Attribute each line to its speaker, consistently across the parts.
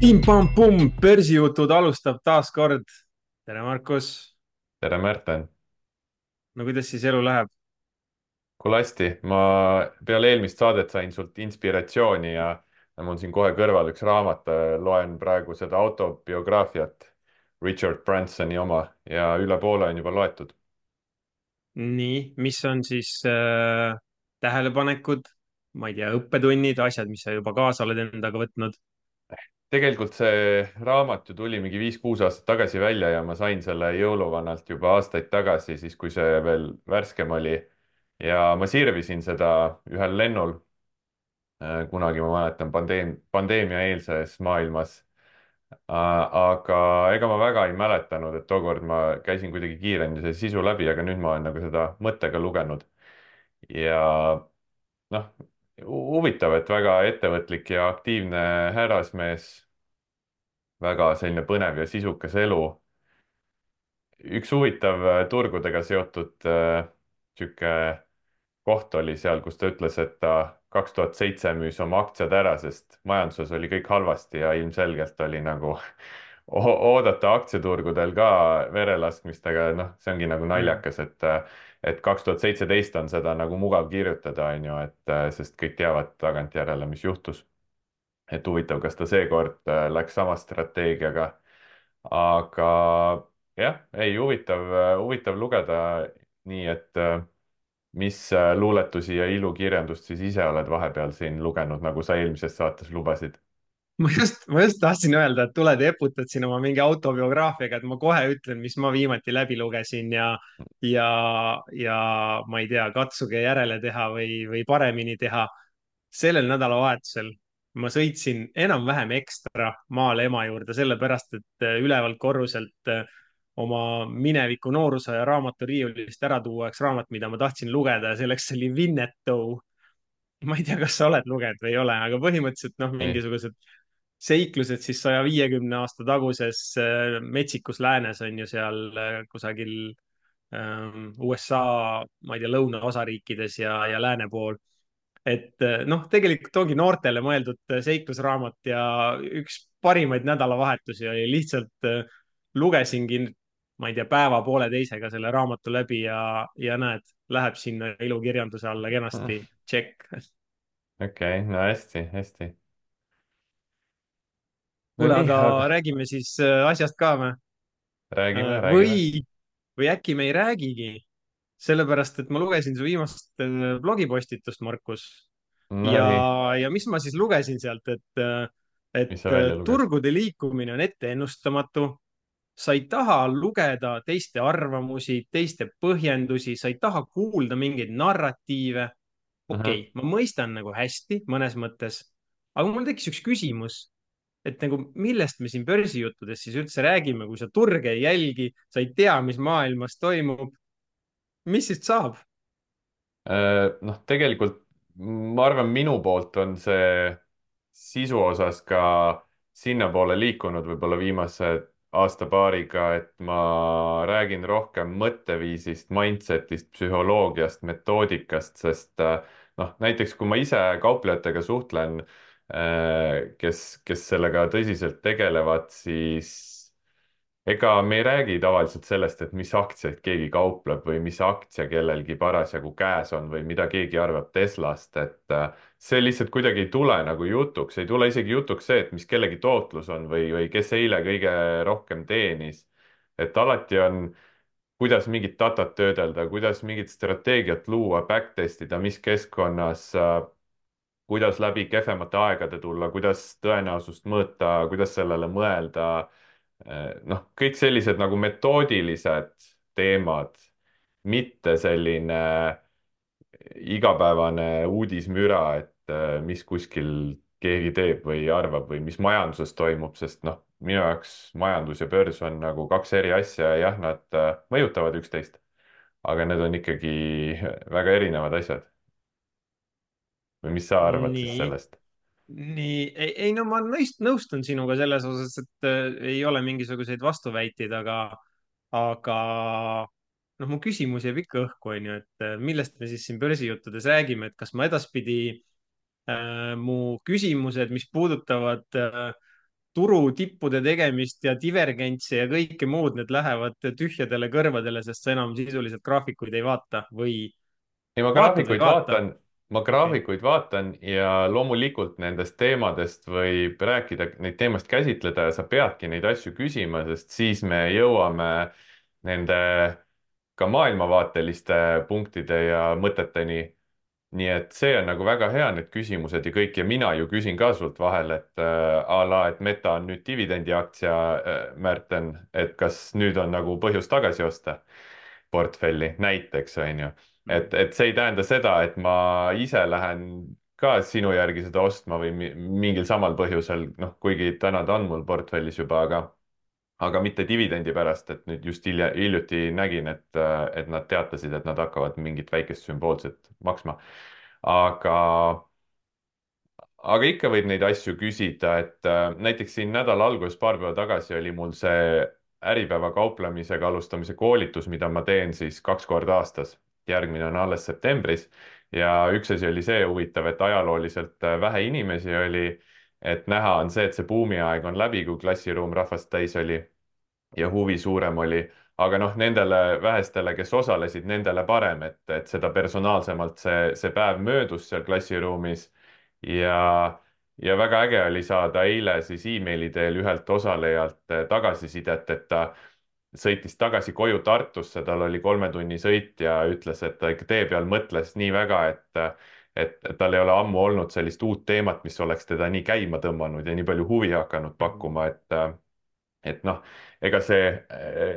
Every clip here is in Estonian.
Speaker 1: Pim-pam-pumm, börsijutud alustab taas kord. tere, Markus.
Speaker 2: tere, Märten.
Speaker 1: No kuidas siis elu läheb?
Speaker 2: kuule hästi, ma peale eelmist saadet sain sult inspiratsiooni ja mul on siin kohe kõrval üks raamat, loen praegu seda autobiograafiat, Richard Bransoni oma ja üle poole on juba loetud.
Speaker 1: Nii, mis on siis tähelepanekud, ma ei tea, õppetunnid, asjad, mis sa juba kaasa oled endaga võtnud?
Speaker 2: tegelikult see raamat ju tuli mingi 5-6 aastat tagasi välja ja ma sain selle jõuluvanalt juba aastaid tagasi, siis kui see veel värskem oli. ja ma sirvisin seda ühel lennul, kunagi ma mäletan pandeemia-eelses maailmas. Aga ega ma väga ei mäletanud, et tookord ma käisin kuidagi kiiremini selle sisu läbi, aga nüüd ma olen nagu seda mõttega lugenud. ja noh, huvitav, et väga ettevõtlik ja aktiivne härrasmees, väga selline põnev ja sisukas elu. üks huvitav turgudega seotud sihuke koht oli seal, kus ta ütles, et ta 2007 müüs oma aktsiad ära, sest majanduses oli kõik halvasti ja ilmselgelt oli nagu oodata aktsiaturgudel ka verelaskmist, aga noh, see ongi nagu
Speaker 1: Mm.
Speaker 2: naljakas, et 2017 on seda nagu mugav kirjutada, on ju, et sest kõik teavad tagantjärele, mis juhtus. et huvitav, kas ta seekord läks sama strateegiaga, aga jah, ei huvitav, huvitav lugeda, nii et mis luuletusi ja ilukirjandust siis ise oled vahepeal siin lugenud, nagu sa eelmises saates lubasid?
Speaker 1: ma just tahtsin öelda, et tuled ja eputad siin oma mingi autobiograafiaga, et ma kohe ütlen, mis ma viimati läbi lugesin ja, ja ma ei tea, katsuge järele teha või paremini teha. Sellel nädalavahetusel ma sõitsin enam-vähem ekstra maale ema juurde, sellepärast et ülevalt korruselt oma mineviku noorusaja raamaturiiulist ära tuua üks raamat, mida ma tahtsin lugeda ja selleks oli Winnetou. Ma ei tea, kas sa oled lugenud või ei ole, aga põhimõtteliselt noh,
Speaker 2: ei.
Speaker 1: mingisugused seiklused siis 150 aasta taguses metsikus läänes on ju seal kusagil USA, ma ei tea, lõunaosariikides ja lääne pool. Et noh, tegelikult ongi noortele mõeldud seiklusraamat ja üks parimaid nädalavahetusi oli lihtsalt lugesingi, ma ei tea, päeva-pooleteisega selle raamatu läbi ja näed, läheb sinna ilukirjanduse alla kenasti. Tšekk.
Speaker 2: okei, no hästi, hästi. no
Speaker 1: kuule,
Speaker 2: nii,
Speaker 1: aga
Speaker 2: aga
Speaker 1: räägime siis asjast ka või?
Speaker 2: räägime, räägime.
Speaker 1: Või äkki me ei räägigi, sellepärast et ma lugesin su viimast blogipostitust, Markus. ja,
Speaker 2: Nonii,
Speaker 1: ja mis ma siis lugesin sealt,
Speaker 2: mis sa välja lugesid?
Speaker 1: turgude liikumine on etteennustamatu. Sa ei taha lugeda teiste arvamusi, teiste põhjendusi, sa ei taha kuulda mingeid narratiive.
Speaker 2: ahah.
Speaker 1: okei, ma mõistan nagu hästi mõnes mõttes, aga mul tekkis üks küsimus, et nagu millest me siin börsijuttudes siis üldse räägime, kui sa turge ei jälgi, sa ei tea, mis maailmas toimub, mis siis saab?
Speaker 2: Noh, tegelikult ma arvan, minu poolt on see sisu osas ka sinnapoole liikunud võib-olla viimase aasta-paariga, et ma räägin rohkem mõtteviisist, mindset'ist, psühholoogiast, metoodikast, sest noh, näiteks kui ma ise kauplejatega suhtlen, kes sellega tõsiselt tegelevad, siis ega me ei räägi tavaliselt sellest, et mis aktsiaid keegi kaupleb või mis aktsia kellelgi parasjagu käes on või mida keegi arvab Teslast, et see lihtsalt kuidagi ei tule nagu jutuks, ei tule isegi jutuks see, et mis kellegi tootlus on või kes eile kõige rohkem teenis. et alati on, kuidas mingit datat töödelda, kuidas mingit strateegiat luua, backtest ida, mis keskkonnas, kuidas läbi kehvemate aegade tulla, kuidas tõenäosust mõõta, kuidas sellele mõelda. noh, kõik sellised nagu metoodilised teemad, mitte selline igapäevane uudismüra, et mis kuskil keegi teeb või arvab või mis majanduses toimub, sest noh, minu jaoks majandus ja börs on nagu kaks eri asja ja jah, nad mõjutavad üksteist, aga need on ikkagi väga erinevad asjad. või mis sa arvad siis
Speaker 1: nii,
Speaker 2: sellest?
Speaker 1: ei no ma nõustun sinuga selles osas, et ei ole mingisuguseid vastuväiteid, aga noh, mu küsimus jääb ikka õhku, on ju, et millest me siis siin börsijuttudes räägime, et kas ma edaspidi mu küsimused, mis puudutavad turutippude tegemist ja divergentsi ja kõike muud, need lähevad tühjadele kõrvadele, sest sa enam sisuliselt graafikuid ei vaata või
Speaker 2: ei,
Speaker 1: vaatad või ei vaata.
Speaker 2: ma
Speaker 1: Okei.
Speaker 2: graafikuid vaatan ja loomulikult nendest teemadest võib rääkida, neid teemast käsitleda ja sa peadki neid asju küsima, sest siis me jõuame nende ka maailmavaateliste punktide ja mõteteni. nii et see on nagu väga hea, need küsimused ja kõik ja mina ju küsin ka sult vahel, et a la, et Meta on nüüd dividendiaktsia, Märten, et kas nüüd on nagu põhjust tagasi osta portfelli, näiteks on ju. et see ei tähenda seda, et ma ise lähen ka sinu järgi seda ostma või mingil samal põhjusel, noh, kuigi täna ta on mul portfellis juba, aga mitte dividendi pärast, et nüüd just hiljuti nägin, et nad teatasid, et nad hakkavad mingit väikest sümboolset maksma. aga, aga ikka võib neid asju küsida, et näiteks siin nädala alguses, paar päeva tagasi oli mul see Äripäeva kauplemisega alustamise koolitus, mida ma teen siis 2 korda aastas. järgmine on alles septembris ja üks asi oli see huvitav, et ajalooliselt vähe inimesi oli, et näha on see, et see buumiaeg on läbi, kui klassiruum rahvast täis oli ja huvi suurem oli. aga noh, nendele vähestele, kes osalesid, nendele parem, et seda personaalsemalt see päev möödus seal klassiruumis. ja väga äge oli saada eile siis emaili teel ühelt osalejalt tagasisidet, et ta sõitis tagasi koju Tartusse, tal oli 3 tunni sõit ja ütles, et ta ikka tee peal mõtles nii väga, et tal ei ole ammu olnud sellist uut teemat, mis oleks teda nii käima tõmmanud ja nii palju huvi hakanud pakkuma, et noh, ega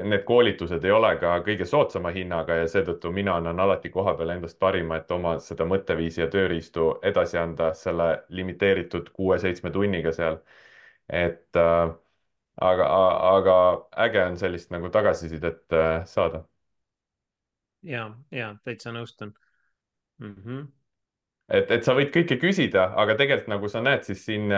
Speaker 2: need koolitused ei ole ka kõige soodsama hinnaga ja seetõttu mina annan alati kohapeal endast parima, et oma seda mõtteviisi ja tööriistu edasi anda selle limiteeritud 6-7 tunniga seal. et aga äge on sellist nagu tagasisidet saada.
Speaker 1: ja täitsa nõustun.
Speaker 2: et sa võid kõike küsida, aga tegelikult nagu sa näed, siis siin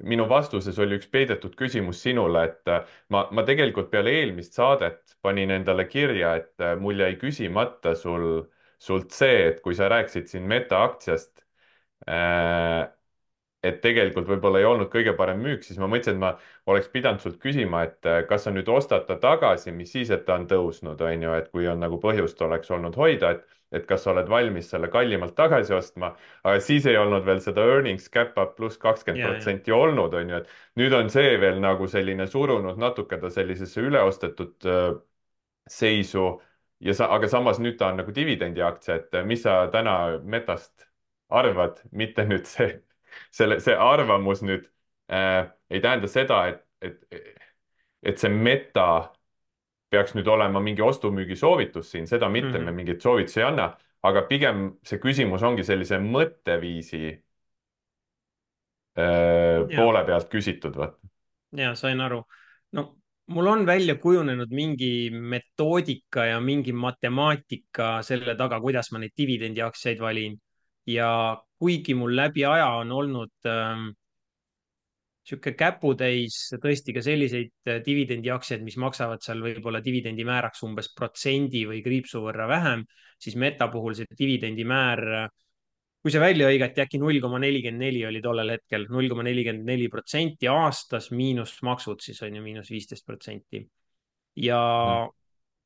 Speaker 2: minu vastuses oli üks peidetud küsimus sinule, et ma tegelikult peale eelmist saadet panin endale kirja, et mul jäi küsimata sult see, et kui sa rääkisid siin Meta aktsiast, äh, et tegelikult võib-olla ei olnud kõige parem müük, siis ma mõtlesin, et ma oleks pidanud sult küsima, et kas sa nüüd ostad ta tagasi, mis siis, et ta on tõusnud, on ju, et kui on nagu põhjust oleks olnud hoida, et kas sa oled valmis selle kallimalt tagasi ostma, aga siis ei olnud veel seda earnings cap up pluss kakskümmend
Speaker 1: ja.
Speaker 2: protsenti olnud, on ju, et nüüd on see veel nagu selline surunud natuke ta sellisesse üleostetud seisu aga samas nüüd ta on nagu dividendiaktsia, et mis sa täna Metast arvad, mitte nüüd see arvamus nüüd ei tähenda seda, et see Meta peaks nüüd olema mingi ostu-müügi soovitus siin, seda mitte, me
Speaker 1: Mhm.
Speaker 2: mingeid soovitusi ei anna, aga pigem see küsimus ongi sellise mõtteviisi
Speaker 1: ja,
Speaker 2: poole pealt küsitud, vaata.
Speaker 1: ja sain aru. No mul on välja kujunenud mingi metoodika ja mingi matemaatika selle taga, kuidas ma neid dividendiaktsiaid valin. ja kuigi mul läbi aja on olnud sihuke käputäis tõesti ka selliseid dividendiaktsiaid, mis maksavad seal võib-olla dividendimääraks umbes protsendi või kriipsu võrra vähem, siis Meta puhul see dividendimäär, kui see välja hõigati, äkki 0,44 oli tollel hetkel, 0,44% aastas miinus maksud siis on ju, -15%. ja
Speaker 2: Mhm.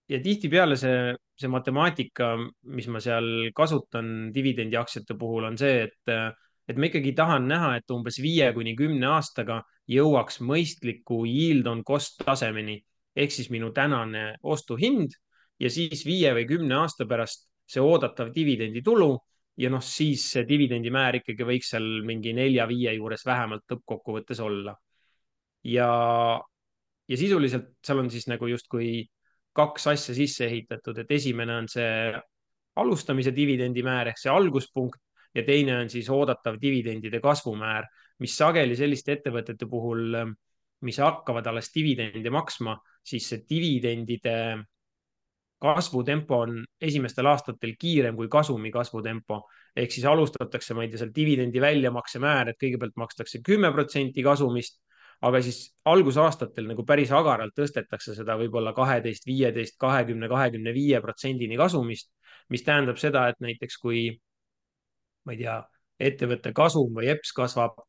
Speaker 1: ja tihtipeale see matemaatika, mis ma seal kasutan dividendiaktsiate puhul, on see, et ma ikkagi tahan näha, et umbes 5 kuni 10 aastaga jõuaks mõistliku yield on cost tasemeni ehk siis minu tänane ostuhind ja siis 5 või 10 aasta pärast see oodatav dividenditulu ja noh, siis see dividendimäär ikkagi võiks seal mingi 4-5 juures vähemalt lõppkokkuvõttes olla. ja ja sisuliselt seal on siis nagu justkui kaks asja sisse ehitatud, et esimene on see alustamise dividendimäär ehk see alguspunkt ja teine on siis oodatav dividendide kasvumäär, mis sageli selliste ettevõtete puhul, mis hakkavad alles dividende maksma, siis see dividendide kasvutempo on esimestel aastatel kiirem kui kasumi kasvutempo. ehk siis alustatakse, ma ei tea, seal dividendi väljamakse määr, et kõigepealt makstakse 10% kasumist, aga siis algusaastatel nagu päris agaralt tõstetakse seda võib-olla 12, 15, 20, 25%-ni kasumist, mis tähendab seda, et näiteks kui, ma ei tea, ettevõtte kasum või EPS kasvab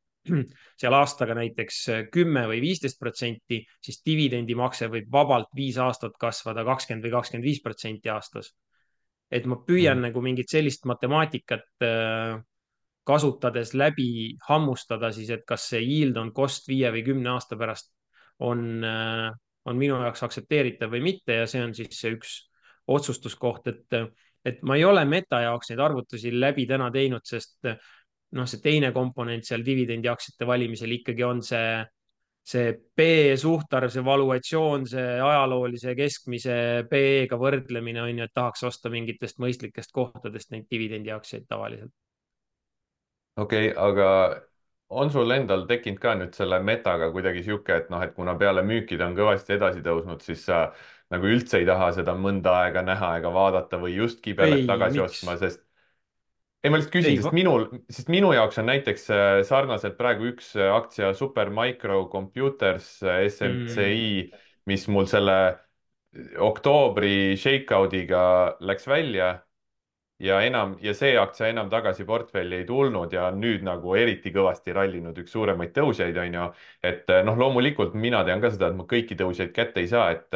Speaker 1: seal aastaga näiteks 10 või 15%, siis dividendimakse võib vabalt 5 aastat kasvada 20 või 25% aastas. et ma püüan
Speaker 2: Mhm.
Speaker 1: nagu mingit sellist matemaatikat kasutades läbi hammustada siis, et kas see yield on cost 5 või 10 aasta pärast on, on minu jaoks aktsepteeritav või mitte ja see on siis see üks otsustuskoht, et ma ei ole meta jaoks neid arvutusi läbi täna teinud, sest noh, see teine komponent seal dividendiaktsiate valimisel ikkagi on see PE suhtarv, see valuatsioon, see ajaloolise keskmise PE-ga võrdlemine on ju, et tahaks osta mingitest mõistlikest kohtadest neid dividendiaktsiaid tavaliselt.
Speaker 2: okei, aga on sul endal tekkinud ka nüüd selle metaga kuidagi sihuke, et noh, et kuna peale müüki ta on kõvasti edasi tõusnud, siis sa nagu üldse ei taha seda mõnda aega näha ega vaadata või just kibeled
Speaker 1: ei,
Speaker 2: tagasi
Speaker 1: miks?
Speaker 2: ostma, sest ei, ma lihtsalt küsin,
Speaker 1: Ei,
Speaker 2: sest minu jaoks on näiteks sarnaselt praegu üks aktsia Supermicro Computers
Speaker 1: mm,
Speaker 2: SMCI, mis mul selle oktoobri shakeout'iga läks välja ja see aktsia enam tagasi portfelli ei tulnud ja on nüüd nagu eriti kõvasti rallinud, üks suuremaid tõusjaid, on ju. et noh, loomulikult mina tean ka seda, et ma kõiki tõuseid kätte ei saa, et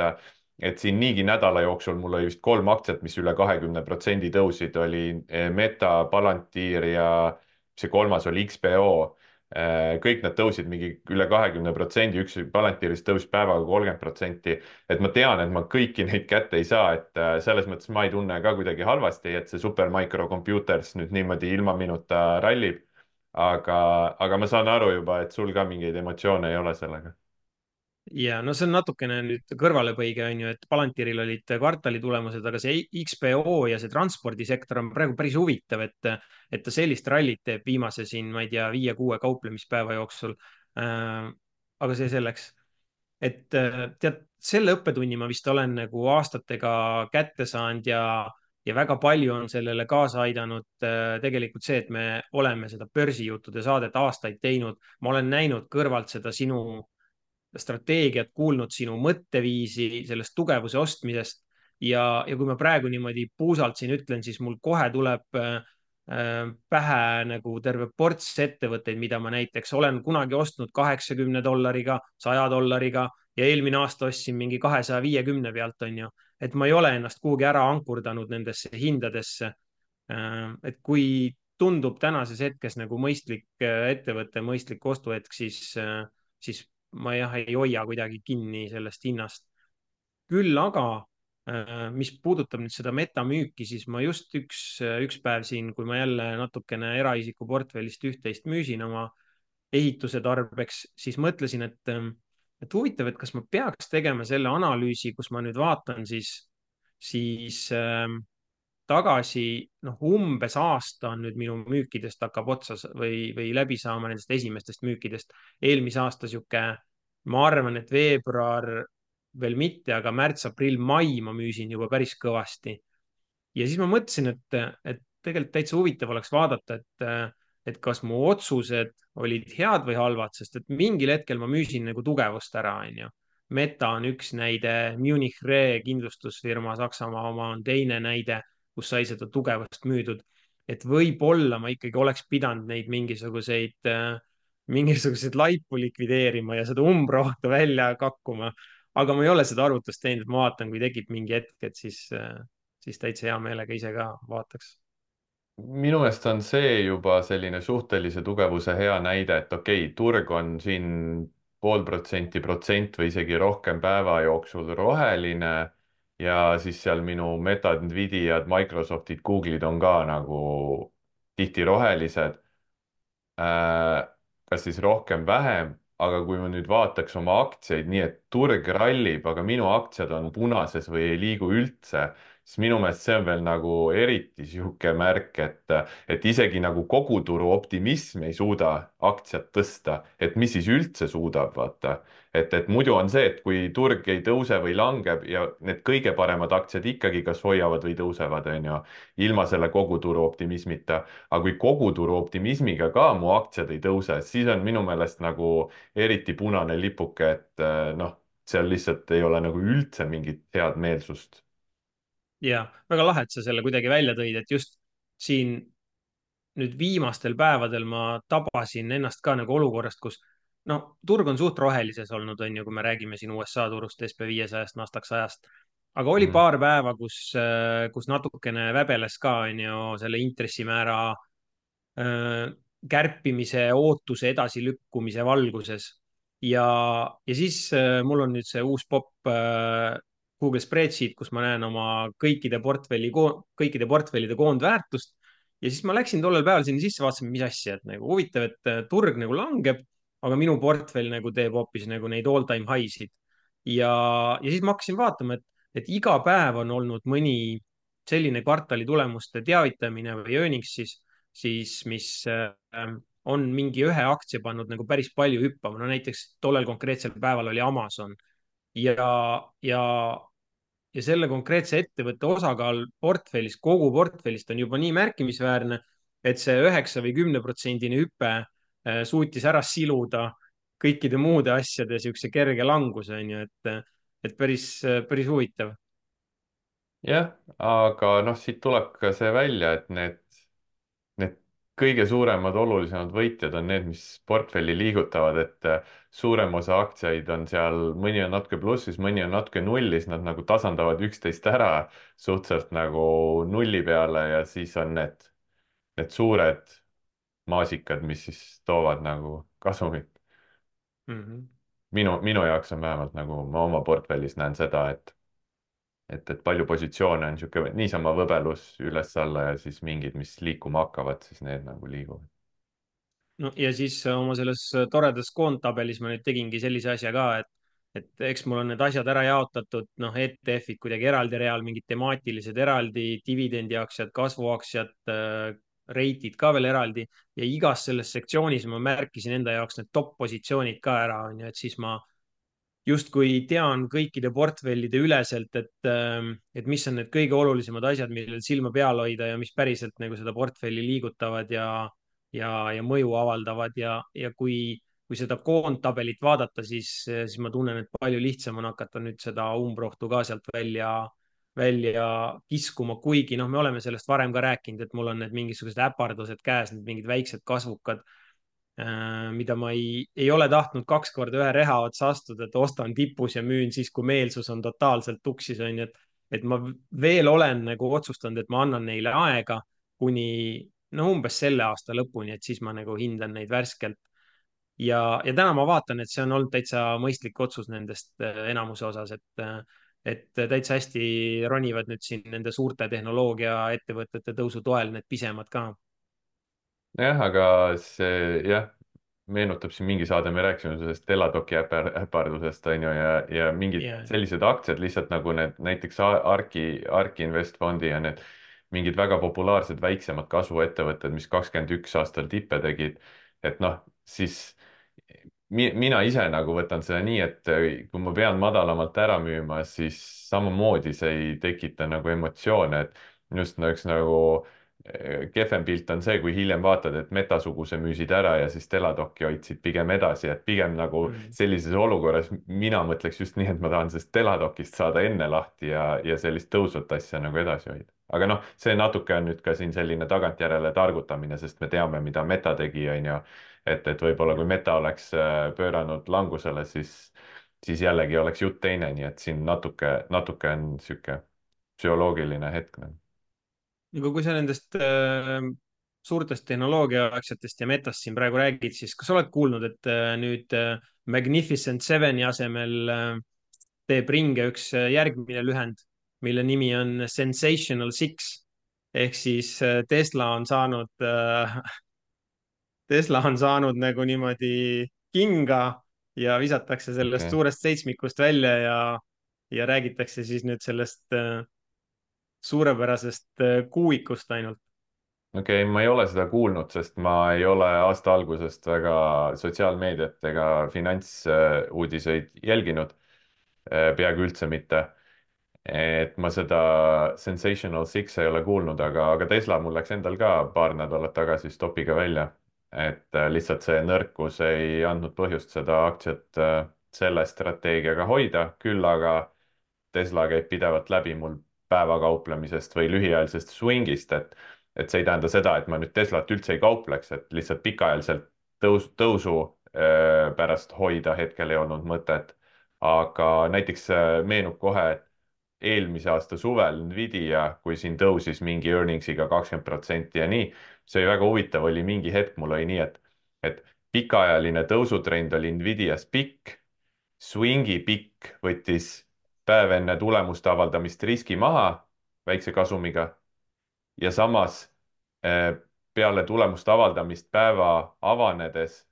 Speaker 2: siin niigi nädala jooksul mul oli vist 3 aktsiat, mis üle 20% tõusid, oli Meta, Palantir ja see kolmas oli XPO. Kõik nad tõusid mingi üle 20%, üks Palantirist tõusis päevaga 30%. et ma tean, et ma kõiki neid kätte ei saa, et selles mõttes ma ei tunne ka kuidagi halvasti, et see Supermicro Computers nüüd niimoodi ilma minuta rallib. aga ma saan aru juba, et sul ka mingeid emotsioone ei ole sellega.
Speaker 1: ja no see on natukene nüüd kõrvalepõige, on ju, et Palantiril olid kvartali tulemused, aga see XPO ja see transpordisektor on praegu päris huvitav, et ta sellist rallit teeb viimase siin, ma ei tea, 5-6 kauplemispäeva jooksul. aga see selleks, et tead, selle õppetunni ma vist olen nagu aastatega kätte saanud ja väga palju on sellele kaasa aidanud tegelikult see, et me oleme seda börsijuttude saadet aastaid teinud. ma olen näinud kõrvalt seda sinu strateegiat, kuulnud sinu mõtteviisi sellest tugevuse ostmisest ja kui ma praegu niimoodi puusalt siin ütlen, siis mul kohe tuleb pähe nagu terve ports ettevõtteid, mida ma näiteks olen kunagi ostnud 80 dollariga, 100 dollariga ja eelmine aasta ostsin mingi 250 pealt, on ju. et ma ei ole ennast kuhugi ära ankurdanud nendesse hindadesse. et kui tundub tänases hetkes nagu mõistlik ettevõte, mõistlik ostuhetk, siis ma jah ei hoia kuidagi kinni sellest hinnast. küll aga, mis puudutab nüüd seda metamüüki, siis ma just üks päev siin, kui ma jälle natukene eraisiku portfellist üht-teist müüsin oma ehituse tarbeks, siis mõtlesin, et huvitav, et kas ma peaks tegema selle analüüsi, kus ma nüüd vaatan siis tagasi, noh, umbes aasta on nüüd minu müükidest hakkab otsas või läbi saama nendest esimestest müükidest. eelmise aasta sihuke, ma arvan, et veebruar veel mitte, aga märts, aprill, mai ma müüsin juba päris kõvasti. ja siis ma mõtlesin, et tegelikult täitsa huvitav oleks vaadata, et kas mu otsused olid head või halvad, sest et mingil hetkel ma müüsin nagu tugevust ära, onju. Meta on üks näide, Munich Re kindlustusfirma, Saksamaa oma on teine näide, kus sai seda tugevust müüdud. et võib-olla ma ikkagi oleks pidanud neid mingisuguseid laipu likvideerima ja seda umbrohtu välja kakkuma. aga ma ei ole seda arvutust teinud, ma vaatan, kui tekib mingi hetk, et siis täitsa hea meelega ise ka vaataks.
Speaker 2: minu meelest on see juba selline suhtelise tugevuse hea näide, et okei, turg on siin 0,5%, protsent või isegi rohkem päeva jooksul roheline ja siis seal minu Metad, Nvidiad, Microsoftid, Google'id on ka nagu tihti rohelised, kas siis rohkem-vähem, aga kui ma nüüd vaataks oma aktsiaid nii, et turg rallib, aga minu aktsiad on punases või ei liigu üldse, siis minu meelest see on veel nagu eriti sihuke märk, et isegi nagu koguturu optimism ei suuda aktsiat tõsta, et mis siis üldse suudab, vaata. et muidu on see, et kui turg ei tõuse või langeb ja need kõige paremad aktsiad ikkagi kas hoiavad või tõusevad, on ju, ilma selle koguturu optimismita, aga kui koguturu optimismiga ka mu aktsiad ei tõuse, siis on minu meelest nagu eriti punane lipuke, et noh, seal lihtsalt ei ole nagu üldse mingit head meelsust.
Speaker 1: ja väga lahe, et sa selle kuidagi välja tõid, et just siin nüüd viimastel päevadel ma tabasin ennast ka nagu olukorrast, kus no turg on suht rohelises olnud, on ju, kui me räägime siin USA turust, SB 500-st, Nasdaq 100-st. aga oli
Speaker 2: mm,
Speaker 1: paar päeva, kus natukene väbeles ka, on ju, selle intressimäära äh, kärpimise ootuse edasilükkumise valguses. ja, ja siis mul on nüüd see uus popp Google Spreadsheet, kus ma näen oma kõikide portfellide koondväärtust. ja siis ma läksin tollel päeval sinna sisse, vaatasin, mis asja, et nagu huvitav, et turg nagu langeb, aga minu portfell nagu teeb hoopis nagu neid all time high sid. ja siis ma hakkasin vaatama, et iga päev on olnud mõni selline kvartali tulemuste teavitamine või earnings siis mis on mingi ühe aktsia pannud nagu päris palju hüppama. No näiteks tollel konkreetsel päeval oli Amazon ja, ja, ja selle konkreetse ettevõtte osakaal portfellis, kogu portfellist on juba nii märkimisväärne, et see 9 või 10% hüpe suutis ära siluda kõikide muude asjade siukse kerge languse, on ju, et päris huvitav.
Speaker 2: jah, aga noh, siit tuleb ka see välja, et need kõige suuremad, olulisemad võitjad on need, mis portfelli liigutavad, et suurem osa aktsiaid on seal, mõni on natuke plussis, mõni on natuke nullis, nad nagu tasandavad üksteist ära suhteliselt nagu nulli peale ja siis on need suured maasikad, mis siis toovad nagu kasumit.
Speaker 1: Mm -hmm.
Speaker 2: minu jaoks on vähemalt nagu ma oma portfellis näen seda, et palju positsioone on niisugune niisama võbelus üles-alla ja siis mingid, mis liikuma hakkavad, siis need nagu liiguvad.
Speaker 1: no ja siis oma selles toredas koondtabelis ma nüüd tegingi sellise asja ka, et eks mul on need asjad ära jaotatud, noh, ETF-id kuidagi eraldi real, mingid temaatilised eraldi, dividendiaktsiad, kasvuaktsiad, reitid ka veel eraldi ja igas selles sektsioonis ma märkisin enda jaoks need top positsioonid ka ära, on ju, et siis ma justkui tean kõikide portfellide üleselt, et mis on need kõige olulisemad asjad, millel silma peal hoida ja mis päriselt nagu seda portfelli liigutavad ja mõju avaldavad ja kui seda koondtabelit vaadata, siis ma tunnen, et palju lihtsam on hakata nüüd seda umbrohtu ka sealt välja kiskuma, kuigi noh, me oleme sellest varem ka rääkinud, et mul on need mingisugused äpardused käes, need mingid väiksed kasvukad mida ma ei ole tahtnud 2 korda ühe reha otsa astuda, et ostan tipus ja müün siis, kui meelsus on totaalselt tuksis, on ju, et ma veel olen nagu otsustanud, et ma annan neile aega kuni no umbes selle aasta lõpuni, et siis ma nagu hindan neid värskelt. ja täna ma vaatan, et see on olnud täitsa mõistlik otsus nendest enamuse osas, et täitsa hästi ronivad nüüd siin nende suurte tehnoloogiaettevõtete tõusu toel need pisemad ka.
Speaker 2: jah, aga see jah, meenutab siin mingi saade, me rääkisime sellest Teladoki äpardusest, on ju, ja mingid
Speaker 1: ja,
Speaker 2: sellised aktsiad lihtsalt nagu need näiteks Arki Investfondi ja need mingid väga populaarsed väiksemad kasvuettevõtted, mis 2021 aastal tippe tegid, et noh, siis mina ise nagu võtan seda nii, et kui ma pean madalamalt ära müüma, siis samamoodi see ei tekita nagu emotsioone, et just nagu kehvem pilt on see, kui hiljem vaatad, et Metasuguse müüsid ära ja siis Teladoki hoidsid pigem edasi, et pigem nagu
Speaker 1: mm,
Speaker 2: sellises olukorras mina mõtleks just nii, et ma tahan sellest Teladokist saada enne lahti ja sellist tõusvat asja nagu edasi hoida. aga noh, see natuke on nüüd ka siin selline tagantjärele targutamine, sest me teame, mida Meta tegi, on ju, et võib-olla kui Meta oleks pööranud langusele, siis jällegi oleks jutt teine, nii et siin natuke on niisugune psühholoogiline hetk nagu.
Speaker 1: aga kui sa nendest suurtest tehnoloogiaaktsiatest ja metast siin praegu räägid, siis kas sa oled kuulnud, et nüüd Magnificent Seveni asemel teeb ringe üks järgmine lühend, mille nimi on Sensational Six ehk siis Tesla on saanud nagu niimoodi kinga ja visatakse sellest
Speaker 2: okei
Speaker 1: suurest seitsmikust välja ja räägitakse siis nüüd sellest suurepärasest kuuikust ainult.
Speaker 2: okei, ma ei ole seda kuulnud, sest ma ei ole aasta algusest väga sotsiaalmeediat ega finantsuudiseid jälginud, peaaegu üldse mitte. et ma seda Sensational Six ei ole kuulnud, aga Tesla mul läks endal ka paar nädalat tagasi stopiga välja. et lihtsalt see nõrkus ei andnud põhjust seda aktsiat selle strateegiaga hoida, küll aga Tesla käib pidevalt läbi mul päevakauplemisest või lühiajalisest swingist, et et see ei tähenda seda, et ma nüüd Teslat üldse ei kaupleks, et lihtsalt pikaajaliselt tõusu pärast hoida hetkel ei olnud mõtet. aga näiteks meenub kohe, et eelmise aasta suvel Nvidia, kui siin tõusis mingi earnings'iga 20% ja nii, see oli väga huvitav, oli mingi hetk, mul oli nii, et pikaajaline tõusutrend oli Nvidias pikk, Swingi pikk võttis päev enne tulemuste avaldamist riski maha väikse kasumiga ja samas peale tulemuste avaldamist päeva avanedes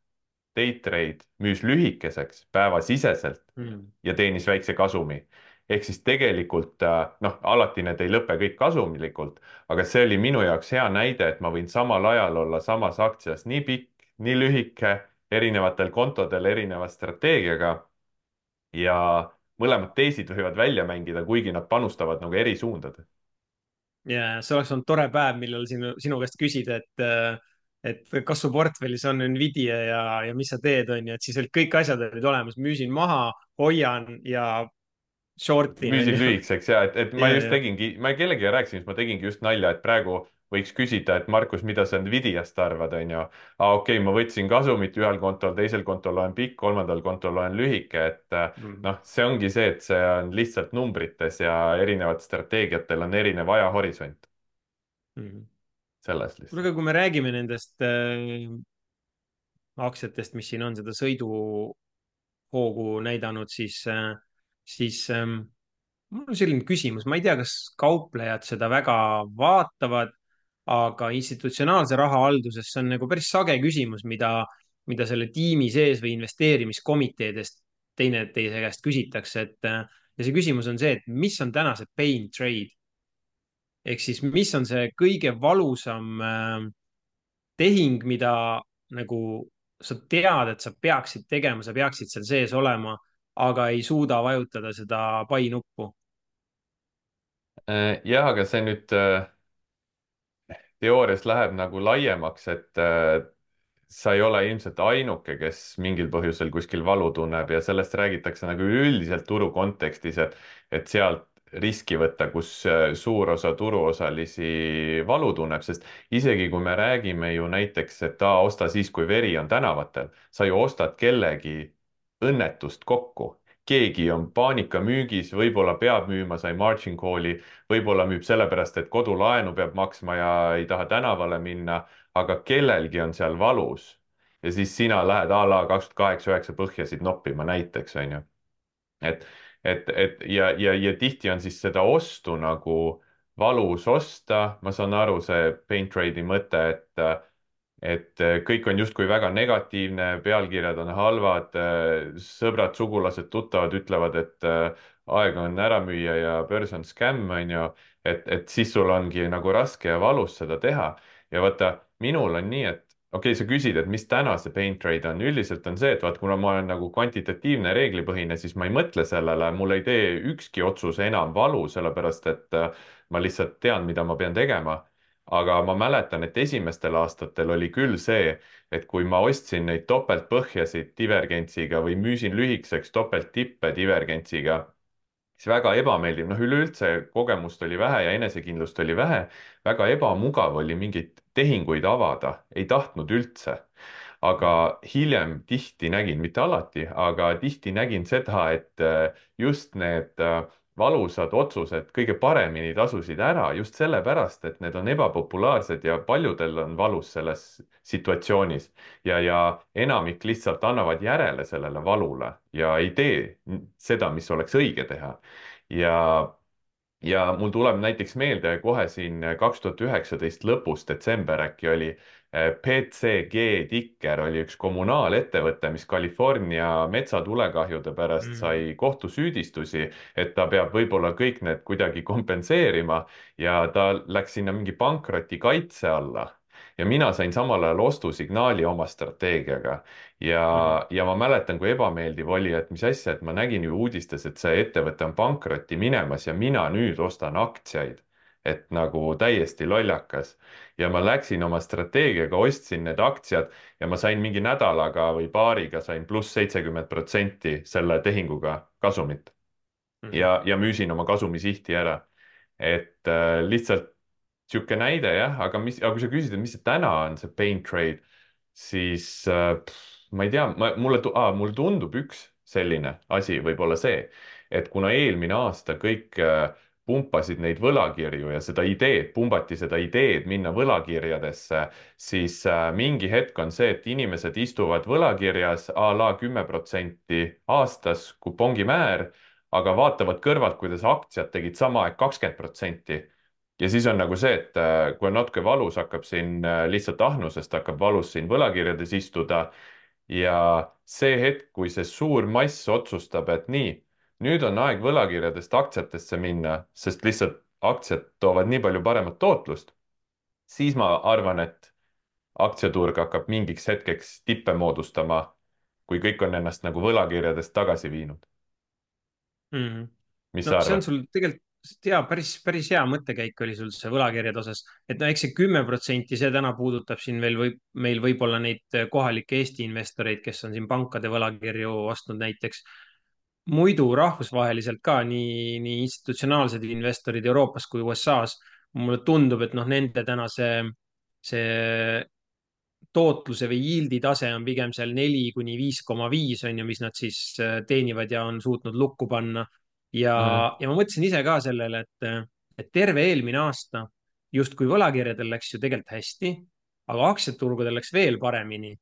Speaker 2: Daytrade müüs lühikeseks päevasiseselt
Speaker 1: mm..
Speaker 2: ja teenis väikse kasumi. ehk siis tegelikult noh, alati need ei lõpe kõik kasumlikult, aga see oli minu jaoks hea näide, et ma võin samal ajal olla samas aktsias nii pikk, nii lühike, erinevatel kontodel erineva strateegiaga ja mõlemad teisid võivad välja mängida, kuigi nad panustavad nagu eri suundades.
Speaker 1: ja see oleks olnud tore päev, millal sinu käest küsida, et kas su portfellis on Nvidia ja mis sa teed, on ju, et siis olid kõik asjad olid olemas, müüsin maha, hoian ja short'in, on
Speaker 2: müüsin
Speaker 1: ju.
Speaker 2: lühikeseks ja et ma
Speaker 1: ja,
Speaker 2: just
Speaker 1: ja.
Speaker 2: tegingi, ma kellegagi rääkisin, siis ma tegingi just nalja, et praegu võiks küsida, et Markus, mida sa Nvidiast arvad, on ju. Okei, ma võtsin kasumit ühel kontol, teisel kontol olen pikk, kolmandal kontol olen lühike, et
Speaker 1: Mm.
Speaker 2: noh, see ongi see, et see on lihtsalt numbrites ja erinevatel strateegiatel on erinev ajahorisont
Speaker 1: Mm.
Speaker 2: selles
Speaker 1: kuule, aga
Speaker 2: lihtsalt.
Speaker 1: kui me räägime nendest aktsiatest, mis siin on seda sõiduhoogu näidanud, siis mul on selline küsimus, ma ei tea, kas kauplejad seda väga vaatavad, aga institutsionaalse rahahalduses see on nagu päris sage küsimus, mida selle tiimi sees või investeerimiskomiteedest teineteise käest küsitakse, ja see küsimus on see, et mis on täna see pain trade ehk siis mis on see kõige valusam tehing, mida nagu sa tead, et sa peaksid tegema, sa peaksid seal sees olema, aga ei suuda vajutada seda pai nuppu.
Speaker 2: Jah, aga see nüüd teoorias läheb nagu laiemaks, et sa ei ole ilmselt ainuke, kes mingil põhjusel kuskil valu tunneb ja sellest räägitakse nagu üldiselt turu kontekstis, et sealt riski võtta, kus suur osa turuosalisi valu tunneb, sest isegi kui me räägime ju näiteks, et osta siis, kui veri on tänavatel, sa ju ostad kellegi õnnetust kokku. keegi on paanikamüügis, võib-olla peab müüma, sai margin call'i, võib-olla müüb sellepärast, et kodulaenu peab maksma ja ei taha tänavale minna, aga kellelgi on seal valus. ja siis sina lähed a la 2008-2009 põhjasid noppima näiteks, on ju. et, ja tihti on siis seda ostu nagu valus osta, ma saan aru, see pain trade'i mõte, et kõik on justkui väga negatiivne, pealkirjad on halvad, sõbrad, sugulased, tuttavad ütlevad, et aeg on ära müüa ja börs on skämm, on ju, et siis sul ongi nagu raske ja valus seda teha. ja vaata, minul on nii, et okei, sa küsid, et mis täna see pain trade on, üldiselt on see, et vaat kuna ma olen nagu kvantitatiivne, reeglipõhine, siis ma ei mõtle sellele, mul ei tee ükski otsus enam valu, sellepärast et ma lihtsalt tean, mida ma pean tegema, aga ma mäletan, et esimestel aastatel oli küll see, et kui ma ostsin neid topeltpõhjasid divergentsiga või müüsin lühikeseks topelttippe divergentsiga, siis väga ebameeldiv, noh, üleüldse kogemust oli vähe ja enesekindlust oli vähe, väga ebamugav oli mingeid tehinguid avada, ei tahtnud üldse. aga hiljem tihti nägin, mitte alati, aga tihti nägin seda, et just need valusad otsused kõige paremini tasusid ära just sellepärast, et need on ebapopulaarsed ja paljudel on valus selles situatsioonis ja enamik lihtsalt annavad järele sellele valule ja ei tee seda, mis oleks õige teha. ja ja mul tuleb näiteks meelde kohe siin 2019 lõpus, detsember äkki oli, PCG Ticker oli üks kommunaalettevõte, mis California metsatulekahjude pärast
Speaker 1: Mm.
Speaker 2: sai kohtusüüdistusi, et ta peab võib-olla kõik need kuidagi kompenseerima ja ta läks sinna mingi pankroti kaitse alla. ja mina sain samal ajal ostusignaali oma strateegiaga
Speaker 1: Mm.
Speaker 2: ja ma mäletan, kui ebameeldiv oli, et mis asja, et ma nägin ju uudistes, et see ettevõte on pankrotti minemas ja mina nüüd ostan aktsiaid. et nagu täiesti lollakas. ja ma läksin oma strateegiaga, ostsin need aktsiad ja ma sain mingi nädalaga või paariga sain pluss 70% selle tehinguga kasumit.
Speaker 1: Mm.
Speaker 2: ja müüsin oma kasumisihti ära. et lihtsalt sihuke näide jah, aga kui sa küsid, et mis see täna on, see pain trade, siis ma ei tea, mulle tundub üks selline asi võib olla see, et kuna eelmine aasta kõik pumpasid neid võlakirju ja pumbati seda ideed minna võlakirjadesse, siis mingi hetk on see, et inimesed istuvad võlakirjas a la 10% aastas kupongimäär, aga vaatavad kõrvalt, kuidas aktsiad tegid sama aeg 20%. Ja siis on nagu see, et kui on natuke valus, hakkab siin lihtsalt ahnusest hakkab valus siin võlakirjades istuda ja see hetk, kui see suur mass otsustab, et nii, nüüd on aeg võlakirjadest aktsiatesse minna, sest lihtsalt aktsiad toovad nii palju paremat tootlust, siis ma arvan, et aktsiaturg hakkab mingiks hetkeks tippe moodustama, kui kõik on ennast nagu võlakirjadest tagasi viinud.
Speaker 1: mm.
Speaker 2: Mis
Speaker 1: No
Speaker 2: sa
Speaker 1: see on
Speaker 2: arvad?
Speaker 1: sul tegelikult hea, päris hea mõttekäik oli sul see võlakirjade osas, et no eks see 10%, see täna puudutab siin veel meil võib-olla neid kohalikke Eesti investoreid, kes on siin pankade võlakirju ostnud näiteks. Muidu rahvusvaheliselt ka nii institutsionaalsed investorid Euroopas kui USA-s, mulle tundub, et noh, nende täna see tootluse või yield'i tase on pigem seal 4 kuni 5,5 on ju, mis nad siis teenivad ja on suutnud lukku panna. Ja,
Speaker 2: Mhm.
Speaker 1: ja ma mõtlesin ise ka sellele, et terve eelmine aasta justkui võlakirjadel läks ju tegelikult hästi, aga aktsiaturgudel läks veel paremini.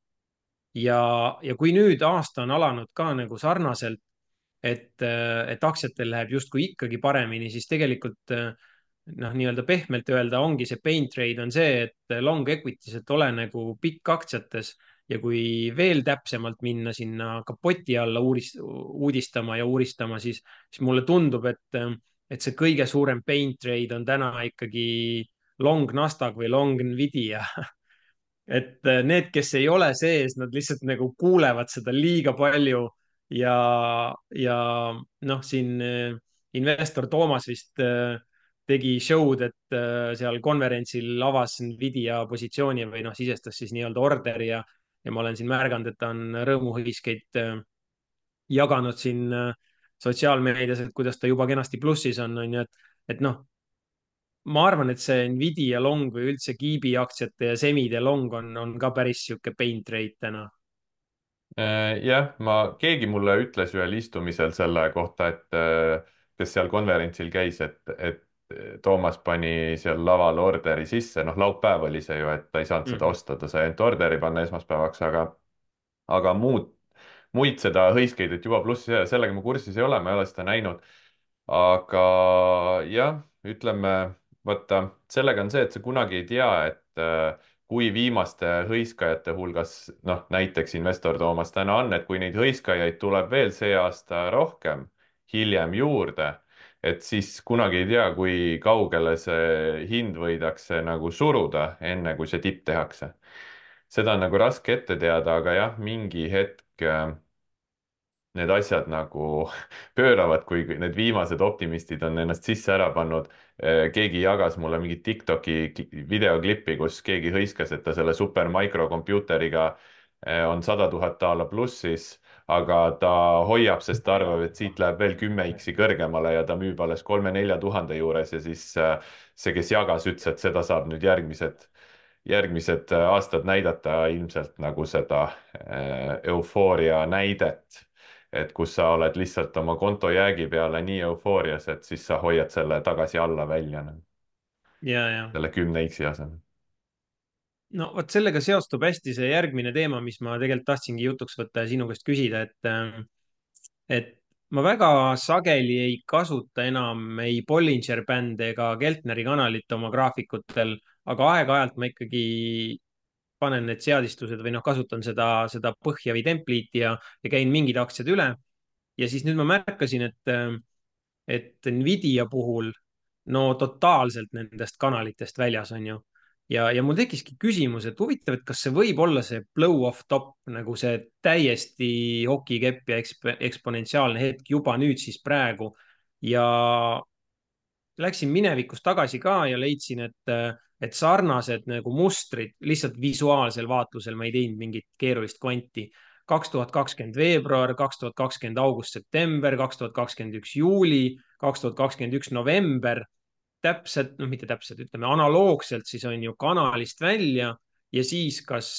Speaker 1: Ja kui nüüd aasta on alanud ka nagu sarnaselt, et aktsiatel läheb justkui ikkagi paremini, siis tegelikult noh, nii-öelda pehmelt öelda ongi see pain trade on see, et long equities, et ole nagu pikk aktsiates ja kui veel täpsemalt minna sinna kapoti alla uudistama ja uuristama, siis mulle tundub, et see kõige suurem pain trade on täna ikkagi long Nasdaq või long Nvidia. Et need, kes ei ole sees, nad lihtsalt nagu kuulevad seda liiga palju ja, ja noh, siin investor Toomas vist tegi show'd, et seal konverentsil avas Nvidia positsiooni või noh, sisestas siis nii-öelda orderi ja ma olen siin märganud, et ta on rõõmuhõiskeid jaganud siin sotsiaalmeedias, et kuidas ta juba kenasti plussis on ju, et noh, ma arvan, et see Nvidia long või üldse Kiibi aktsiate ja semide long on ka päris sihuke pain trade täna.
Speaker 2: Jah, keegi mulle ütles ühel istumisel selle kohta, et kes seal konverentsil käis, et Toomas pani seal laval orderi sisse, noh, laupäev oli see ju, et ta ei saanud seda
Speaker 1: Mhm.
Speaker 2: osta, ta sai ainult orderi panna esmaspäevaks, aga muid seda hõiskeid, et juba plussi, sellega ma kursis ei ole, ma ei ole seda näinud. aga jah, ütleme, vaata, sellega on see, et sa kunagi ei tea, et kui viimaste hõiskajate hulgas, noh, näiteks investor Toomas täna on, et kui neid hõiskajaid tuleb veel see aasta rohkem, hiljem juurde, et siis kunagi ei tea, kui kaugele see hind võidakse nagu suruda, enne kui see tipp tehakse. seda on nagu raske ette teada, aga jah, mingi hetk need asjad nagu pööravad, kui need viimased optimistid on ennast sisse ära pannud. keegi jagas mulle mingit TikToki videoklippi, kus keegi hõiskas, et ta selle supermikrokompuuteriga on 100 000 a la plussis, aga ta hoiab, sest ta arvab, et siit läheb veel 10x kõrgemale ja ta müüb alles 3-4 tuhande juures ja siis see, kes jagas, ütles, et seda saab nüüd järgmised aastad näidata ilmselt nagu seda eufooria näidet, et kus sa oled lihtsalt oma konto jäägi peale nii eufoorias, et siis sa hoiad selle tagasi alla välja nagu,
Speaker 1: ja.
Speaker 2: selle 10x asemel.
Speaker 1: No vot sellega seostub hästi see järgmine teema, mis ma tegelikult tahtsingi jutuks võtta ja sinu käest küsida, et ma väga sageli ei kasuta enam ei Bollinger Band ega Keltneri kanalit oma graafikutel, aga aeg-ajalt ma ikkagi panen need seadistused või noh, kasutan seda põhja või templiiti ja käin mingid aktsiad üle. Ja siis nüüd ma märkasin, et Nvidia puhul no totaalselt nendest kanalitest väljas on ju. Ja mul tekkiski küsimus, et huvitav, et kas see võib olla see blow off top nagu see täiesti hokikepp ja eksponentsiaalne hetk juba nüüd siis praegu. Ja läksin minevikus tagasi ka ja leidsin, et sarnased nagu mustrid lihtsalt visuaalsel vaatlusel, ma ei teinud mingit keerulist kvanti. 2020 veebruar, 2020 august-september, 2021 juuli, 2021 november täpselt, noh, mitte täpselt, ütleme analoogselt siis on ju kanalist välja ja siis kas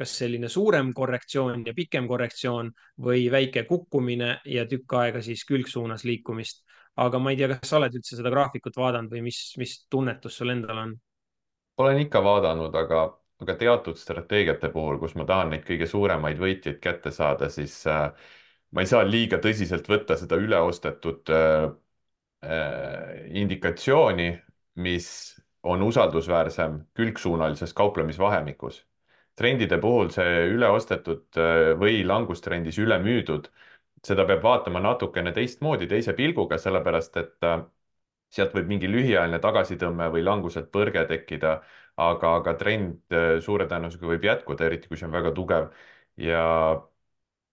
Speaker 1: selline suurem korrektsioon ja pikem korrektsioon või väike kukkumine ja tükk aega siis külgsuunas liikumist. aga ma ei tea, kas sa oled üldse seda graafikut vaadanud või mis tunnetus sul endal on?
Speaker 2: olen ikka vaadanud, aga teatud strateegiate puhul, kus ma tahan neid kõige suuremaid võitjaid kätte saada, siis ma ei saa liiga tõsiselt võtta seda üleostetud indikatsiooni, mis on usaldusväärsem külgsuunalises kauplemisvahemikus. trendide puhul see üleostetud või langustrendis ülemüüdud, seda peab vaatama natukene teistmoodi, teise pilguga, sellepärast et sealt võib mingi lühiajaline tagasitõmme või languselt põrge tekkida, aga trend suure tõenäosusega võib jätkuda, eriti kui see on väga tugev. ja,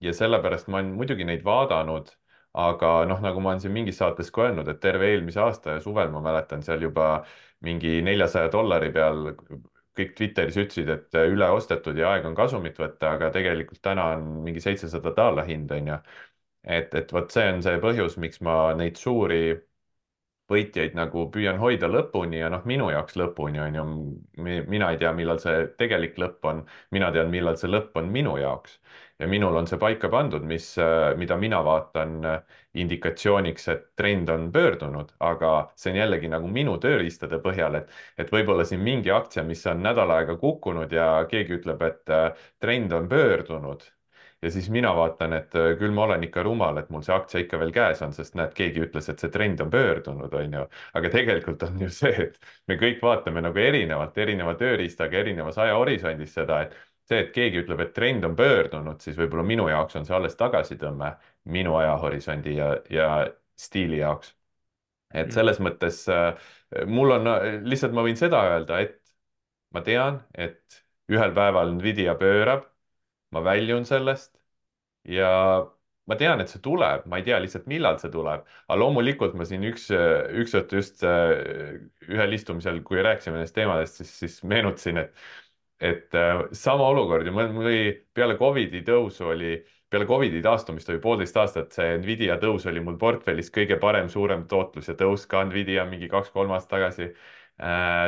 Speaker 2: ja sellepärast ma olen muidugi neid vaadanud, aga noh, nagu ma olen siin mingis saates ka öelnud, et terve eelmise aasta ja suvel ma mäletan seal juba mingi $400 peal kõik Twitteris ütlesid, et üle ostetud ja aeg on kasumit võtta, aga tegelikult täna on mingi $700 hind, on ju. et vot see on see põhjus, miks ma neid suuri võitjaid nagu püüan hoida lõpuni ja noh, minu jaoks lõpuni on ju, mina ei tea, millal see tegelik lõpp on, mina tean, millal see lõpp on minu jaoks. ja minul on see paika pandud, mida mina vaatan indikatsiooniks, et trend on pöördunud, aga see on jällegi nagu minu tööriistade põhjal, et võib-olla siin mingi aktsia, mis on nädal aega kukkunud ja keegi ütleb, et trend on pöördunud ja siis mina vaatan, et küll ma olen ikka rumal, et mul see aktsia ikka veel käes on, sest näed, keegi ütles, et see trend on pöördunud, on ju. aga tegelikult on ju see, et me kõik vaatame nagu erinevalt, erineva tööriistaga, erinevas ajahorisondis seda, et see, et keegi ütleb, et trend on pöördunud, siis võib-olla minu jaoks on see alles tagasitõmme minu ajahorisondi ja stiili jaoks. et
Speaker 1: Mm.
Speaker 2: selles mõttes mul on, lihtsalt ma võin seda öelda, et ma tean, et ühel päeval Nvidia pöörab, ma väljun sellest ja ma tean, et see tuleb, ma ei tea lihtsalt, millal see tuleb, aga loomulikult ma siin üks õhtu just ühel istumisel, kui rääkisime nendest teemadest, siis meenutasin, et sama olukord ja mul oli peale Covidi tõusu oli, peale Covidi taastumist oli 1,5 aastat, see Nvidia tõus oli mul portfellis kõige parem, suurem tootlus ja tõus ka Nvidia mingi 2-3 aastat tagasi.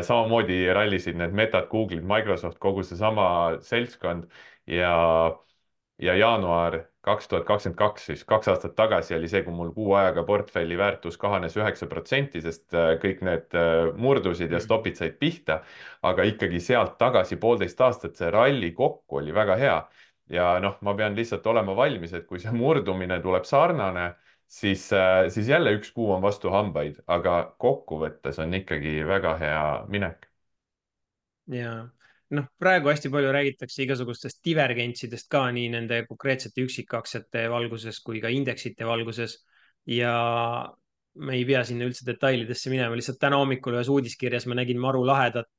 Speaker 2: Samamoodi rallisid need Metad, Google'id, Microsoft, kogu seesama seltskond ja jaanuar 2022, siis 2 aastat tagasi oli see, kui mul kuu ajaga portfelli väärtus kahanes 9%, sest kõik need murdusid ja
Speaker 1: Mm.
Speaker 2: stopid said pihta. aga ikkagi sealt tagasi 1,5 aastat see ralli kokku oli väga hea. ja noh, ma pean lihtsalt olema valmis, et kui see murdumine tuleb sarnane, siis jälle üks kuu on vastu hambaid, aga kokkuvõttes on ikkagi väga hea minek.
Speaker 1: ja noh, praegu hästi palju räägitakse igasugustest divergentsidest ka nii nende konkreetsete üksikaktsiate valguses kui ka indeksite valguses. ja me ei pea sinna üldse detailidesse minema, lihtsalt täna hommikul ühes uudiskirjas ma nägin maru lahedat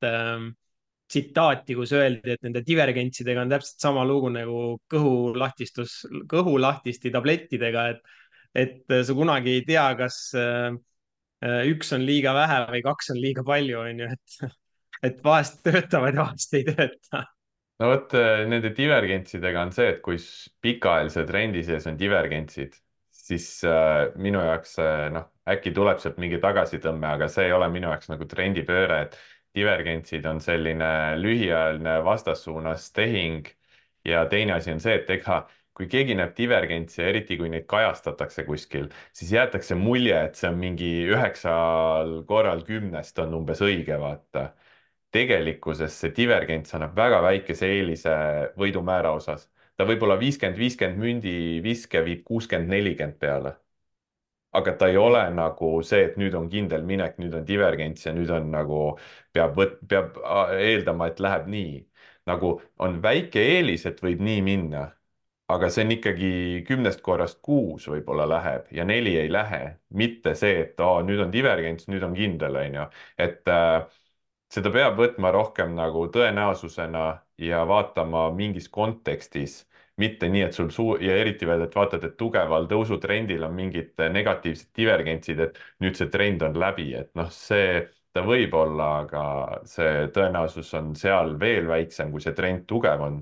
Speaker 1: tsitaati, kus öeldi, et nende divergentsidega on täpselt sama lugu nagu kõhulahtisti tablettidega, et sa kunagi ei tea, kas üks on liiga vähe või kaks on liiga palju, on ju, et vahest töötavad ja vahest ei tööta.
Speaker 2: no vot, nende divergentsidega on see, et kui pikaajalise trendi sees on divergentsid, siis minu jaoks noh, äkki tuleb sealt mingi tagasitõmme, aga see ei ole minu jaoks nagu trendipööre, et divergentsid on selline lühiajaline vastassuunas tehing. ja teine asi on see, et ega kui keegi näeb divergentsi ja eriti kui neid kajastatakse kuskil, siis jäetakse mulje, et see on mingi 9 korral 10 on umbes õige, vaata tegelikkuses see divergents annab väga väikese eelise võidumäära osas. ta võib olla 50-50 mündi viske viib 60-40 peale. aga ta ei ole nagu see, et nüüd on kindel minek, nüüd on divergents ja nüüd on nagu peab eeldama, et läheb nii. nagu on väike eelis, et võib nii minna, aga see on ikkagi 10 korrast 6 võib-olla läheb ja 4 ei lähe, mitte see, et nüüd on divergents, nüüd on kindel, on ju. et seda peab võtma rohkem nagu tõenäosusena ja vaatama mingis kontekstis, mitte nii, et sul ja eriti veel, et vaatad, et tugeval tõusutrendil on mingid negatiivsed divergentsid, et nüüd see trend on läbi, et noh, see ta võib olla, aga see tõenäosus on seal veel väiksem, kui see trend tugev on.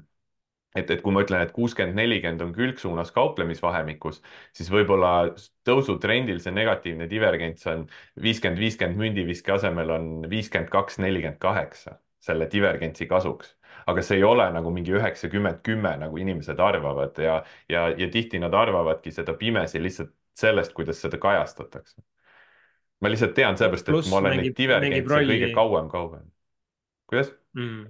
Speaker 2: et kui ma ütlen, et 60-40 on külgsuunas kauplemisvahemikus, siis võib-olla tõusutrendil see negatiivne divergents on 50-50 mündiviske asemel on 52-48 selle divergentsi kasuks. aga see ei ole nagu mingi 90-10, nagu inimesed arvavad ja tihti nad arvavadki seda pimesi lihtsalt sellest, kuidas seda kajastatakse. ma lihtsalt tean sellepärast, et
Speaker 1: pluss
Speaker 2: ma olen neid
Speaker 1: mängib
Speaker 2: divergentse kõige
Speaker 1: rolli
Speaker 2: kauem kaugenud. kuidas?
Speaker 1: mm..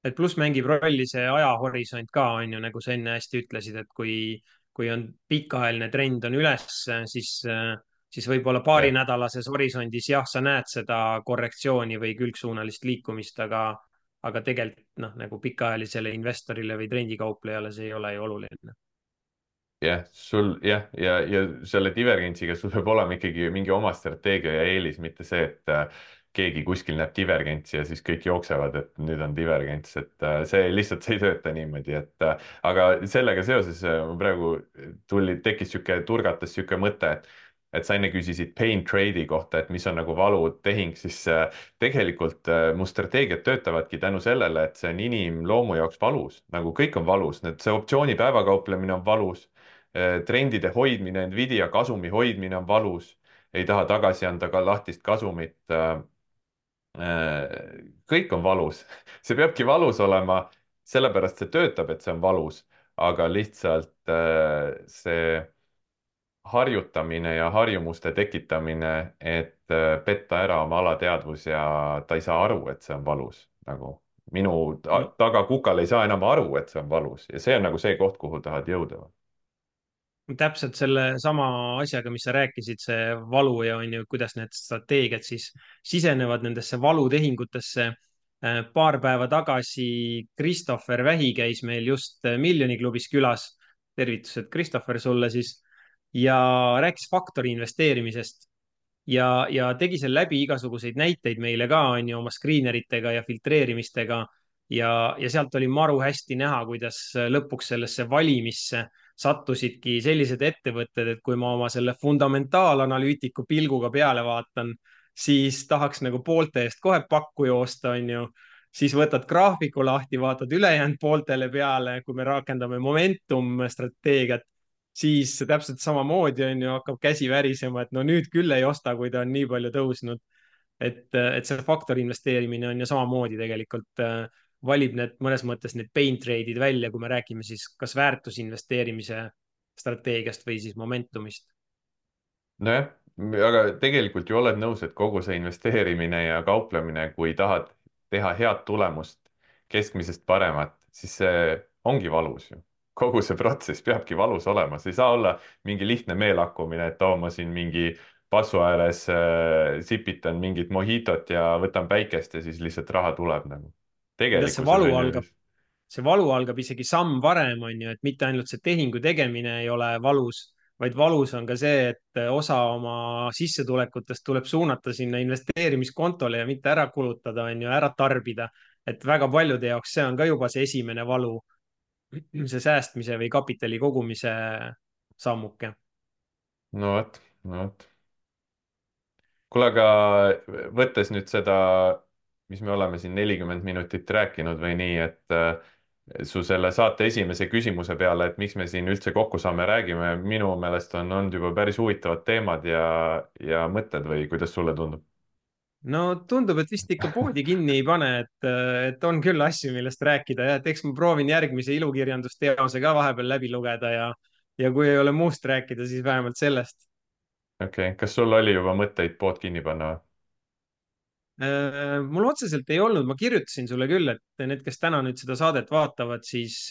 Speaker 1: et pluss mängib rolli see ajahorisont ka, on ju, nagu sa enne hästi ütlesid, et kui on pikaajaline trend on üles, siis võib-olla
Speaker 2: jah.
Speaker 1: paarinädalases horisondis jah, sa näed seda korrektsiooni või külgsuunalist liikumist, aga tegelikult noh, nagu pikaajalisele investorile või trendikauplejale see ei ole ju oluline.
Speaker 2: jah, sul jah, ja selle divergentsiga sul peab olema ikkagi mingi oma strateegia ja eelis, mitte see, et keegi kuskil näeb divergentsi ja siis kõik jooksevad, et nüüd on divergents, et see lihtsalt, see ei tööta niimoodi, et aga sellega seoses mul praegu tekkis sihuke, turgatas sihuke mõte, et sa enne küsisid pain trade'i kohta, et mis on nagu valutehing, siis tegelikult mu strateegiad töötavadki tänu sellele, et see on inimloomu jaoks valus, nagu kõik on valus, see optsiooni päevakauplemine on valus, trendide hoidmine, Nvidia kasumi hoidmine on valus, ei taha tagasi anda ka lahtist kasumit. Kõik on valus, see peabki valus olema, sellepärast see töötab, et see on valus, aga lihtsalt see harjutamine ja harjumuste tekitamine, et petta ära oma alateadvus ja ta ei saa aru, et see on valus, nagu minu tagakukal ei saa enam aru, et see on valus ja see on nagu see koht, kuhu tahad jõuda.
Speaker 1: Täpselt selle sama asjaga, mis sa rääkisid, see valu ja on ju, kuidas need strateegiad siis sisenevad nendesse valutehingutesse. Paar päeva tagasi Christopher Vähi käis meil just Miljoniklubis külas. Tervitused, Christopher, sulle siis. Ja rääkis faktori investeerimisest ja tegi seal läbi igasuguseid näiteid meile ka, on ju, oma screeneritega ja filtreerimistega. Ja sealt oli maru hästi näha, kuidas lõpuks sellesse valimisse sattusidki sellised ettevõtted, et kui ma oma selle fundamentaalanalüütiku pilguga peale vaatan, siis tahaks nagu poolte eest kohe pakku joosta, on ju. siis võtad graafiku lahti, vaatad ülejäänud pooltele peale, kui me rakendame momentum strateegiat, siis täpselt samamoodi on ju, hakkab käsi värisema, et no nüüd küll ei osta, kui ta on nii palju tõusnud. et see faktori investeerimine on ju samamoodi tegelikult valib need mõnes mõttes need pain trade'id välja, kui me räägime siis kas väärtusinvesteerimise strateegiast või siis momentumist.
Speaker 2: nojah, aga tegelikult ju oled nõus, et kogu see investeerimine ja kauplemine, kui tahad teha head tulemust, keskmisest paremat, siis see ongi valus ju. kogu see protsess peabki valus olema, see ei saa olla mingi lihtne meelakkumine, et oo, ma siin mingi passu ääres sipitan mingit mojitot ja võtan päikest ja siis lihtsalt raha tuleb nagu.
Speaker 1: tead, see
Speaker 2: tegelikkuses
Speaker 1: valu
Speaker 2: on ju.
Speaker 1: algab, see valu algab isegi samm varem, on ju, et mitte ainult see tehingu tegemine ei ole valus, vaid valus on ka see, et osa oma sissetulekutest tuleb suunata sinna investeerimiskontole ja mitte ära kulutada, on ju, ära tarbida. et väga paljude jaoks see on ka juba see esimene valu, see säästmise või kapitali kogumise sammuke.
Speaker 2: no vot, no vot. kuule, aga võttes nüüd seda, mis me oleme siin 40 minutit rääkinud või nii, et su selle saate esimese küsimuse peale, et miks me siin üldse kokku saame, räägime, minu meelest on olnud juba päris huvitavad teemad ja mõtted või kuidas sulle tundub?
Speaker 1: No tundub, et vist ikka poodi kinni ei pane, et on küll asju, millest rääkida ja et eks ma proovin järgmise ilukirjandusteose ka vahepeal läbi lugeda ja kui ei ole muust rääkida, siis vähemalt sellest.
Speaker 2: okei okay., kas sul oli juba mõtteid pood kinni panna või?
Speaker 1: Mul otseselt ei olnud, ma kirjutasin sulle küll, et need, kes täna nüüd seda saadet vaatavad, siis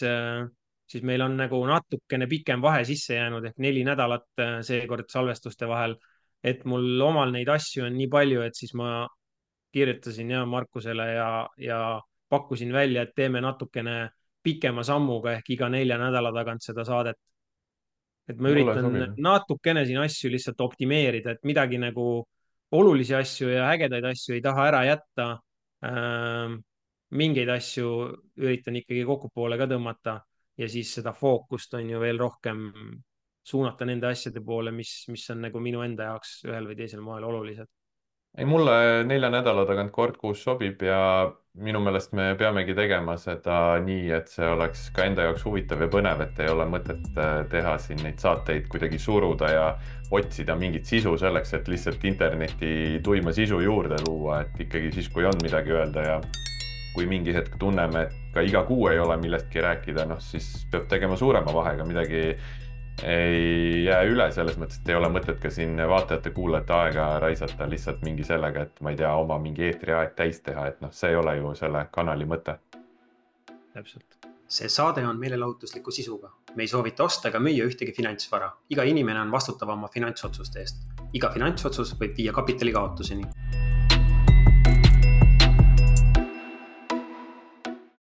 Speaker 1: meil on nagu natukene pikem vahe sisse jäänud ehk 4 nädalat seekord salvestuste vahel. et mul omal neid asju on nii palju, et siis ma kirjutasin ja Markusele ja pakkusin välja, et teeme natukene pikema sammuga ehk iga 4 nädala tagant seda saadet. et ma
Speaker 2: mulle
Speaker 1: üritan
Speaker 2: sobib.
Speaker 1: natukene siin asju lihtsalt optimeerida, et midagi nagu olulisi asju ja ägedaid asju ei taha ära jätta. mingeid asju üritan ikkagi kokkupoole ka tõmmata ja siis seda fookust on ju veel rohkem suunata nende asjade poole, mis on nagu minu enda jaoks ühel või teisel moel olulised.
Speaker 2: ei, mulle 4 nädala tagant kord kuus sobib ja minu meelest me peamegi tegema seda nii, et see oleks ka enda jaoks huvitav ja põnev, et ei ole mõtet teha siin neid saateid kuidagi suruda ja otsida mingit sisu selleks, et lihtsalt interneti tuima sisu juurde luua, et ikkagi siis, kui on midagi öelda ja kui mingi hetk tunneme, et ka iga kuu ei ole millestki rääkida, noh siis peab tegema suurema vahega, midagi ei jää üle, selles mõttes, et ei ole mõtet ka siin vaatajate-kuulajate aega raisata lihtsalt mingi sellega, et ma ei tea, oma mingi eetriaeg täis teha, et noh, see ei ole ju selle kanali mõte.
Speaker 1: Täpselt.
Speaker 3: See saade on meelelahutusliku sisuga. Me ei soovita osta ega müüa ühtegi finantsvara. Iga inimene on vastutav oma finantsotsuste eest. Iga finantsotsus võib viia kapitali kaotuseni.